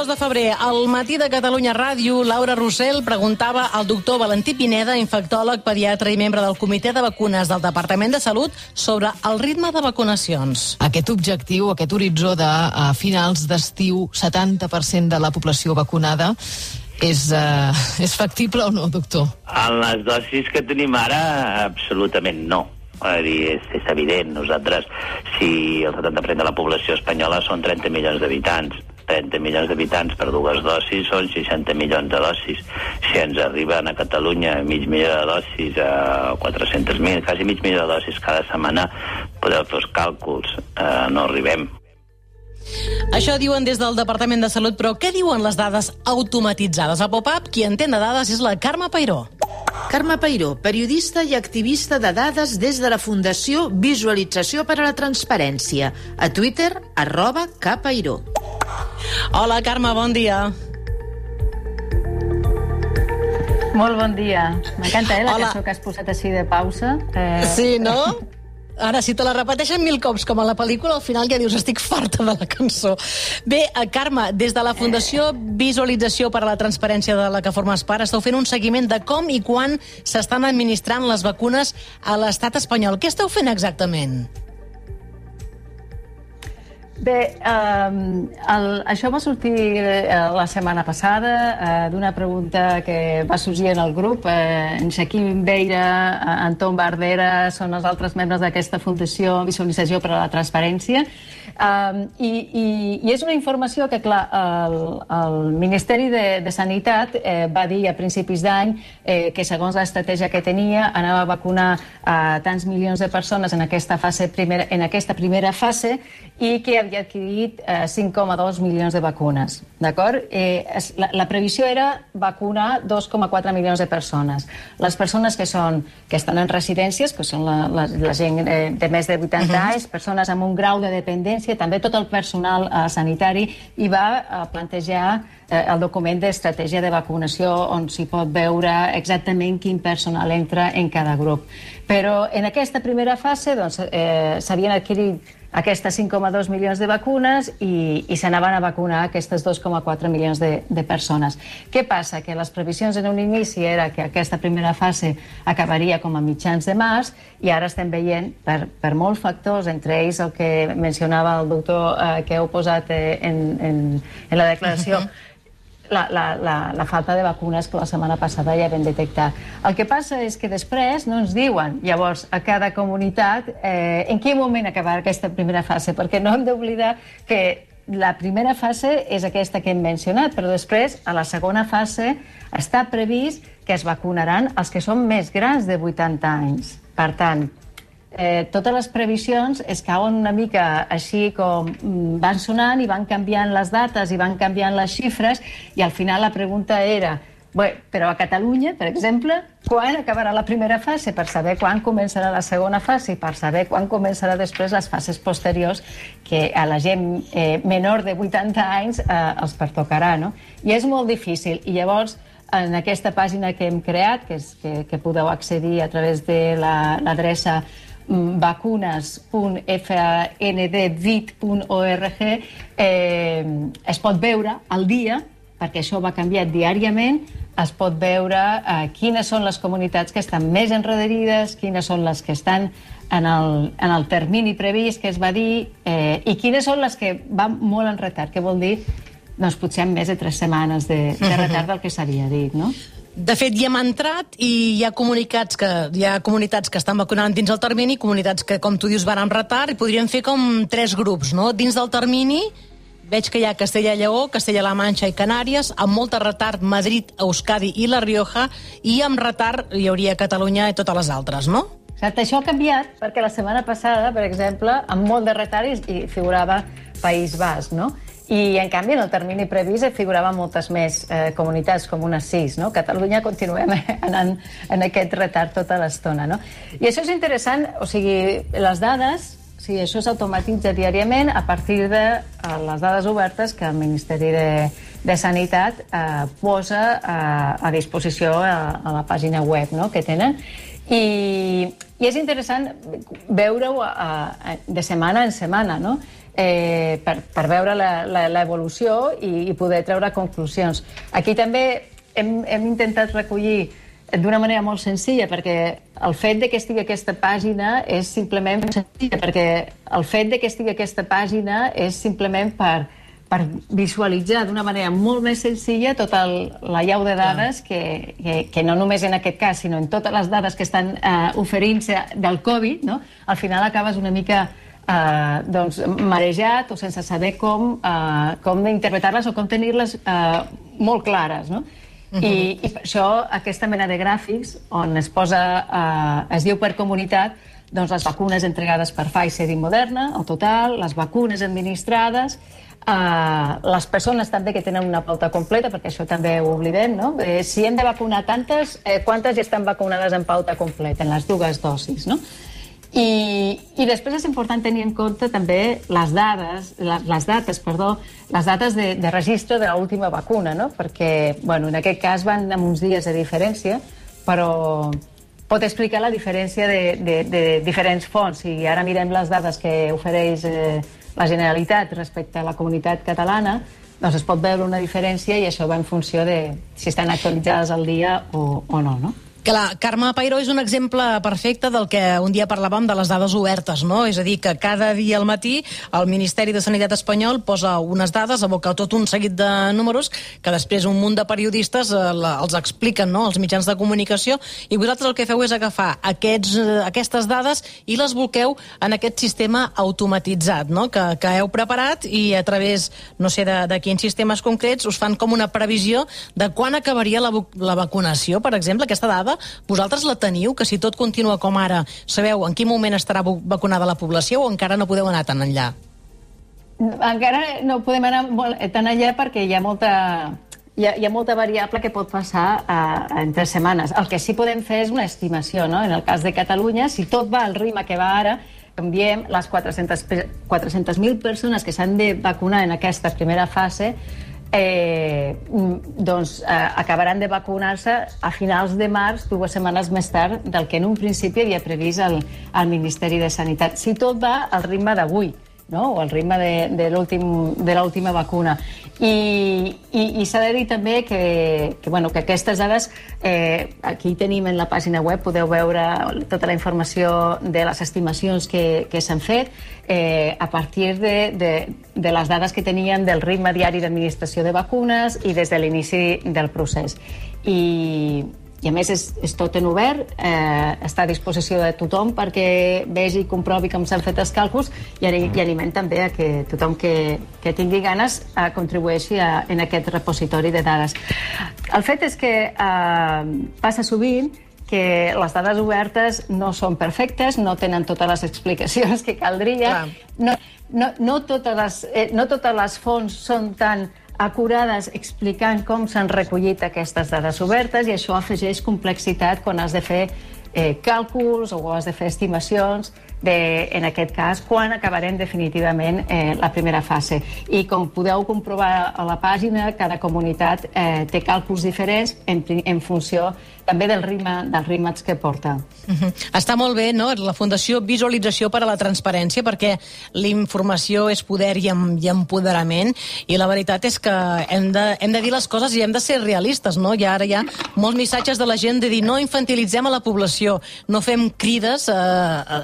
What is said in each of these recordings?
2 de febrer, al matí de Catalunya Ràdio, Laura Rossell preguntava al doctor Valentí Pineda, infectòleg, pediatre i membre del Comitè de Vacunes del Departament de Salut, sobre el ritme de vacunacions. Aquest objectiu, aquest horitzó de finals d'estiu, 70% de la població vacunada, és factible o no, doctor? En les dosis que tenim ara, absolutament no. És evident. Nosaltres, si el 70% de la població espanyola són 30 milions d'habitants, 30 milions d'habitants per 2 dosis són 60 milions de dosis. Si ens arriben a Catalunya mig milió de dosis, a 400.000, quasi mig milió de dosis cada setmana, podeu fer els càlculs. No arribem. Això diuen des del Departament de Salut, però què diuen les dades automatitzades? A Pop-Up, qui entén de dades és la Carme Peiró. Carme Peiró, periodista i activista de dades des de la Fundació Visualització per a la Transparència. A Twitter, @kpeiró. Hola, Carme, bon dia. Molt bon dia. M'encanta, la cançó que has posat així de pausa. Sí, no? Ara, si te la repeteixen 1000 cops, com a la pel·lícula, al final ja dius, estic farta de la cançó. Bé, Carme, des de la Fundació Visualització per a la Transparència de la que formes part, esteu fent un seguiment de com i quan s'estan administrant les vacunes a l'estat espanyol. Què esteu fent exactament? Bé, això va sortir la setmana passada d'una pregunta que va sorgir en el grup. En Joaquim Beira, Anton Bardera són els altres membres d'aquesta Fundació Visualització per a la Transparència. I és una informació que, clar, el Ministeri de Sanitat va dir a principis d'any que, segons l'estratègia que tenia, anava a vacunar tants milions de persones en aquesta primera fase i que havia adquirit 5,2 milions de vacunes. D'acord? La previsió era vacunar 2,4 milions de persones. Les persones que estan en residències, que són la gent de més de 80 anys, persones amb un grau de dependència, també tot el personal sanitari, i va plantejar el document d'estratègia de vacunació on s'hi pot veure exactament quin personal entra en cada grup. Però en aquesta primera fase s'havien adquirit aquestes 5,2 milions de vacunes i s'anaven a vacunar aquestes 2,4 milions de persones. Què passa? Que les previsions en un inici era que aquesta primera fase acabaria com a mitjans de març i ara estem veient, per molts factors, entre ells el que mencionava el doctor que heu posat en la declaració, la falta de vacunes que la setmana passada ja vam detectar. El que passa és que després no ens diuen, llavors, a cada comunitat en quin moment acabarà aquesta primera fase, perquè no hem d'oblidar que la primera fase és aquesta que hem mencionat, però després, a la segona fase, està previst que es vacunaran els que són més grans de 80 anys. Per tant, totes les previsions es cauen una mica així com van sonant i van canviant les dates i van canviant les xifres i al final la pregunta era, però a Catalunya, per exemple, quan acabarà la primera fase? Per saber quan començarà la segona fase i per saber quan començarà després les fases posteriors que a la gent menor de 80 anys els pertocarà, no? I és molt difícil. I llavors, en aquesta pàgina que hem creat, que podeu accedir a través de l'adreça vacunes.fndvit.org, es pot veure al dia, perquè això va canviar diàriament, es pot veure quines són les comunitats que estan més enrederides, quines són les que estan en el termini previst que es va dir i quines són les que van molt en retard, que vol dir potser amb més de 3 setmanes de retard del que s'havia dit, no? De fet, hi hem entrat i hi ha comunitats que estan vacunant dins el termini, comunitats que, com tu dius, van amb retard, i podríem fer com 3 grups, no? Dins del termini veig que hi ha Castella i Lleó, Castella-La Manxa i Canàries, amb molt de retard Madrid, Euskadi i La Rioja, i amb retard hi hauria Catalunya i totes les altres, no? Exacte, això ha canviat perquè la setmana passada, per exemple, amb molt de retard hi figurava País Basc, no? I, en canvi, en el termini previst figuraven moltes més comunitats, com unes 6, no? Catalunya continuem anant en aquest retard tota l'estona, no? I això és interessant, o sigui, les dades, això s'automatitza diàriament a partir de les dades obertes que el Ministeri de Sanitat posa a disposició a la pàgina web que tenen. I és interessant veure-ho de setmana en setmana, no? per veure l'evolució i poder treure conclusions. Aquí també hem intentat recollir d'una manera molt senzilla, perquè el fet de que estigui aquesta pàgina és simplement senzilla, perquè el fet de que estigui aquesta pàgina és simplement per visualitzar d'una manera molt més senzilla tota la llau de dades que no només en aquest cas, sinó en totes les dades que estan oferint-se del Covid, no? Al final acabes una mica marejat o sense saber com interpretar-les o com tenir-les molt clares, no? I per això aquesta mena de gràfics on es diu per comunitat, doncs les vacunes entregades per Pfizer i Moderna, el total, les vacunes administrades, les persones també que tenen una pauta completa, perquè això també ho oblidem, no? Si hem de vacunar tantes, quantes ja estan vacunades en pauta completa, en les 2 dosis, no? I després és important tenir en compte també les dates de registre de l'última vacuna, no? Perquè, bueno, en aquest cas van amb uns dies de diferència, però pot explicar la diferència de diferents fonts. Si ara mirem les dades que ofereix la Generalitat respecte a la comunitat catalana, doncs es pot veure una diferència i això va en funció de si estan actualitzades al dia o no, no? Clar, Carme Peiró és un exemple perfecte del que un dia parlàvem de les dades obertes, no? És a dir, que cada dia al matí el Ministeri de Sanitat espanyol posa unes dades, aboca tot un seguit de números que després un munt de periodistes els expliquen, no?, als mitjans de comunicació, i vosaltres el que feu és agafar aquestes dades i les bolqueu en aquest sistema automatitzat, no?, que heu preparat, i a través, no sé de quins sistemes concrets, us fan com una previsió de quan acabaria la vacunació, per exemple. Aquesta dada vosaltres la teniu, que si tot continua com ara, sabeu en quin moment estarà vacunada la població, o encara no podeu anar tan enllà? Encara no podem anar tan enllà perquè hi ha molta variable que pot passar en 3 setmanes. El que sí podem fer és una estimació, no? En el cas de Catalunya, si tot va al ritme que va ara, canviem les 400.000 persones que s'han de vacunar en aquesta primera fase, doncs acabaran de vacunar-se a finals de març, 2 setmanes més tard del que en un principi havia previst el Ministeri de Sanitat, si tot va al ritme d'avui, no?, o al ritme de l'última vacuna. I s'ha de dir també que aquestes dades, aquí tenim en la pàgina web, podeu veure tota la informació de les estimacions que s'han fet a partir de les dades que teníem del ritme diari d'administració de vacunes i des de l'inici del procés. I a més és tot en obert, està a disposició de tothom perquè vegi i comprovi com s'han fet els càlculs, i animem també a que tothom que tingui ganes contribueixi en aquest repositori de dades. El fet és que passa sovint que les dades obertes no són perfectes, no tenen totes les explicacions que caldria, no totes les fonts són tan acurades explicant com s'han recollit aquestes dades obertes, i això afegeix complexitat quan has de fer càlculs o has de fer estimacions en aquest cas, quan acabarem definitivament la primera fase. I com podeu comprovar a la pàgina, cada comunitat té càlculs diferents en funció també del ritme que porta. Està molt bé, no?, la Fundació Visualització per a la Transparència, perquè l'informació és poder i empoderament, i la veritat és que hem de dir les coses i hem de ser realistes, no? Ara hi ha molts missatges de la gent de dir no infantilitzem a la població, no fem crides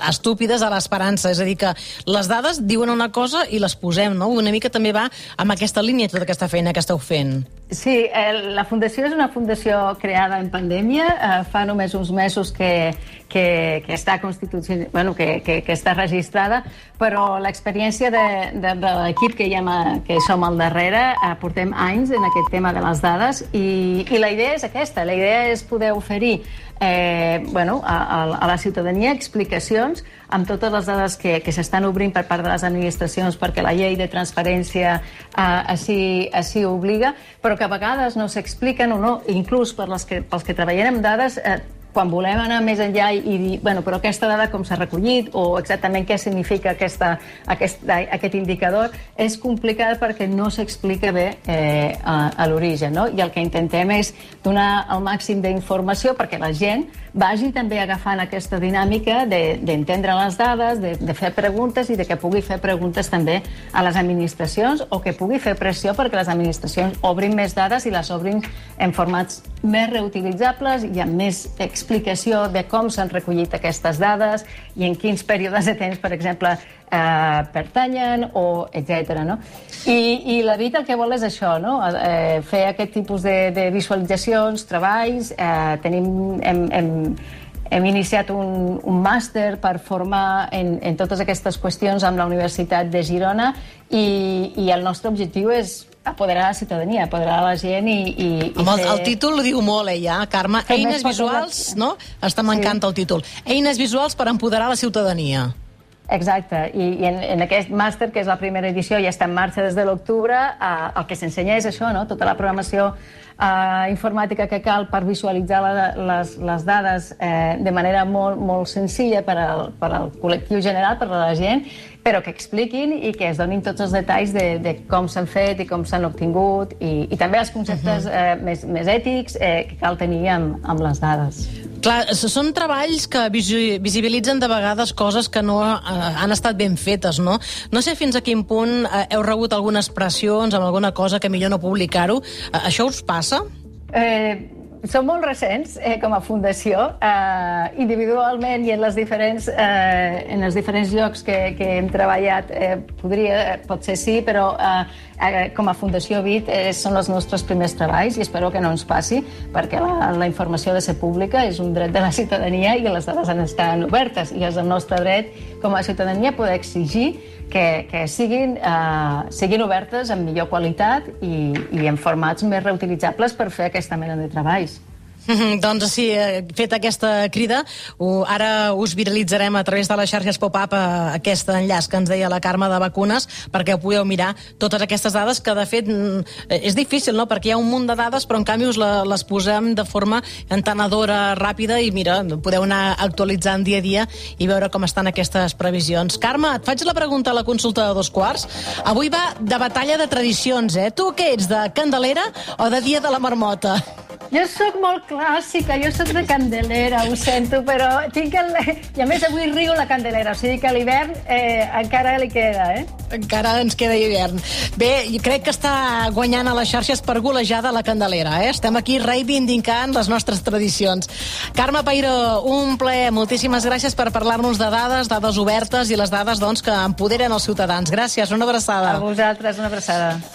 estúpides a l'esperança, és a dir, que les dades diuen una cosa i les posem, no? Una mica també va amb aquesta línia tota aquesta feina que esteu fent. Sí, la Fundació és una fundació creada en pandèmia, fa només uns mesos que està que està registrada, però l'experiència de l'equip que som al darrere, portem anys en aquest tema de les dades, i la idea és aquesta, la idea és poder oferir a la ciutadania explicacions amb totes les dades que s'estan obrint per part de les administracions, perquè la llei de transparència així obliga, però que a vegades no s'expliquen o no, inclús pels que treballem amb dades, quan volem anar més enllà i dir, bueno, però aquesta dada com s'ha recollit o exactament què significa aquest indicador, és complicat perquè no s'explica bé a l'origen, no? I el que intentem és donar el màxim d'informació perquè la gent vagi també agafant aquesta dinàmica d'entendre les dades, de fer preguntes i de que pugui fer preguntes també a les administracions o que pugui fer pressió perquè les administracions obrin més dades i les obrin en formats més reutilitzables i amb més explicació de com s'han recollit aquestes dades i en quins períodes de temps, per exemple, pertanyen o etc. No? I la BIT el que vol és això, no? Fer aquest tipus de visualitzacions, treballs. Hem iniciat un màster per formar en totes aquestes qüestions amb la Universitat de Girona i el nostre objectiu és apoderar la ciutadania, apoderar la gent i el títol ho diu molt, ja, Carme. Eines visuals, no? M'encanta el títol. Eines visuals per empoderar la ciutadania. Exacte, i en aquest màster, que és la primera edició, ja està en marxa des de l'octubre, el que s'ensenya és això, no? Tota la programació informàtica que cal per visualitzar les dades de manera molt senzilla per al col·lectiu general, per a la gent, però que expliquin i que es donin tots els detalls de com s'han fet i com s'han obtingut i també els conceptes més ètics que cal tenir amb les dades. Clar, són treballs que visibilitzen de vegades coses que no han estat ben fetes, no? No sé fins a quin punt heu rebut algunes pressions amb alguna cosa que millor no publicar-ho. Això us passa? Som molt recents com a fundació, individualment i en els diferents llocs que hem treballat potser sí, però com a Fundació BIT són els nostres primers treballs i espero que no ens passi perquè la informació ha de ser pública, és un dret de la ciutadania i les dades han d'estar obertes i és el nostre dret com a ciutadania poder exigir que siguin obertes amb millor qualitat i en formats més reutilitzables per fer aquesta mena de treballs. Doncs sí, fet aquesta crida, ara us viralitzarem a través de les xarxes pop-up aquest enllaç que ens deia la Carme de vacunes perquè ho podeu mirar, totes aquestes dades que de fet és difícil, no? Perquè hi ha un munt de dades però en canvi us les posem de forma entenedora, ràpida i mira, podeu anar actualitzant dia a dia i veure com estan aquestes previsions. Carme, et faig la pregunta a la consulta de 2:15. Avui va de batalla de tradicions, Tu què ets, de Candelera o de Dia de la Marmota? Jo sóc molt clàssica, jo sóc de Candelera, ho sento, però tinc i a més avui riu la Candelera, o sigui que a l'hivern encara li queda, Encara ens queda hivern. Bé, crec que està guanyant a les xarxes per golejada la Candelera, Estem aquí reivindicant les nostres tradicions. Carme Peiró, un plaer, moltíssimes gràcies per parlar-nos de dades obertes i les dades, doncs, que empoderen els ciutadans. Gràcies, una abraçada. A vosaltres, una abraçada.